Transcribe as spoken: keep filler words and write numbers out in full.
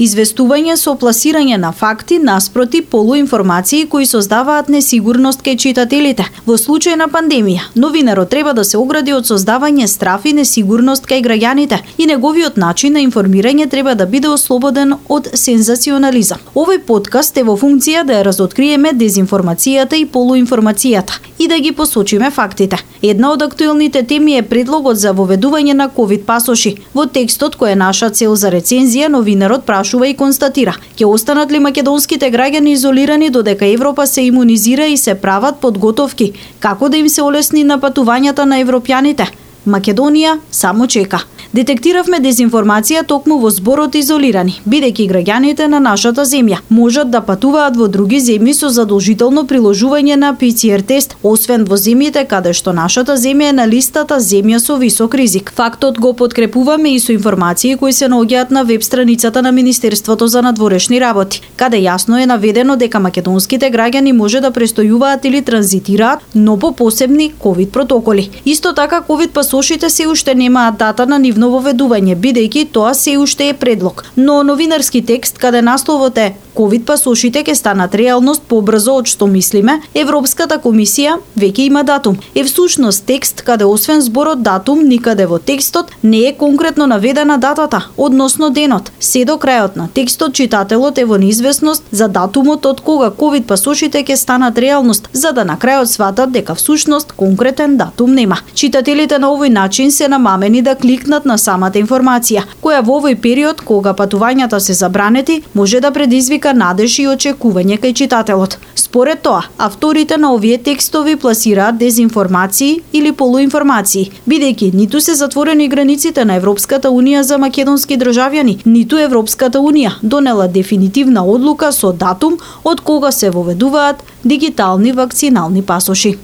Известување со пласирање на факти наспроти полуинформации кои создаваат несигурност кај читателите. Во случај на пандемија, новинарот треба да се огради од создавање страф и несигурност кај граѓаните и неговиот начин на информирање треба да биде ослободен од сензационализам. Овој подкаст е во функција да ја разоткриеме дезинформацијата и полуинформацијата и да ги посочиме фактите. Една од актуелните теми е предлогот за воведување на ковид пасоши. Во текстот кој е наша цел за рецензија, новинарот прашува и констатира: ќе останат ли македонските граѓани изолирани додека Европа се имунизира и се прават подготовки како да им се олесни напатувањата на европјаните? Македонија само чека. Детектиравме дезинформација токму во зборот изолирани, бидејќи граѓаните на нашата земја можат да патуваат во други земји со задолжително приложување на пи си ар тест, освен во земјите каде што нашата земја е на листата земја со висок ризик. Фактот го подкрепуваме и со информации кои се наоѓаат на веб страницата на Министерството за надворешни работи, каде јасно е наведено дека македонските граѓани може да престојуваат или транзитираат, но по посебни ковид протоколи. Исто така ковид пасошите се уште немаат дата на нивно воведување, бидејќи тоа се уште е предлог. Но новинарски текст каде насловот е ковид пасошите ќе станат реалност побрзо од што мислиме, Европската комисија веќе има датум. Е всушност текст каде освен зборот датум, никаде во текстот не е конкретно наведена датата, односно денот. Се до крајот на текстот читателот е во неизвестност за датумот од кога ковид пасошите ќе станат реалност, за да на крајот сватат дека всушност конкретен датум нема. Читателите на овој начин се намамени да кликнат на самата информација, која во овој период кога патувањата се забранети, може да предизвика надеж и очекување кај читателот. Според тоа, авторите на овие текстови пласираат дезинформации или полуинформации, бидејќи ниту се затворени границите на Европската унија за македонски државјани, ниту Европската унија донела дефинитивна одлука со датум од кога се воведуваат дигитални вакцинални пасоши.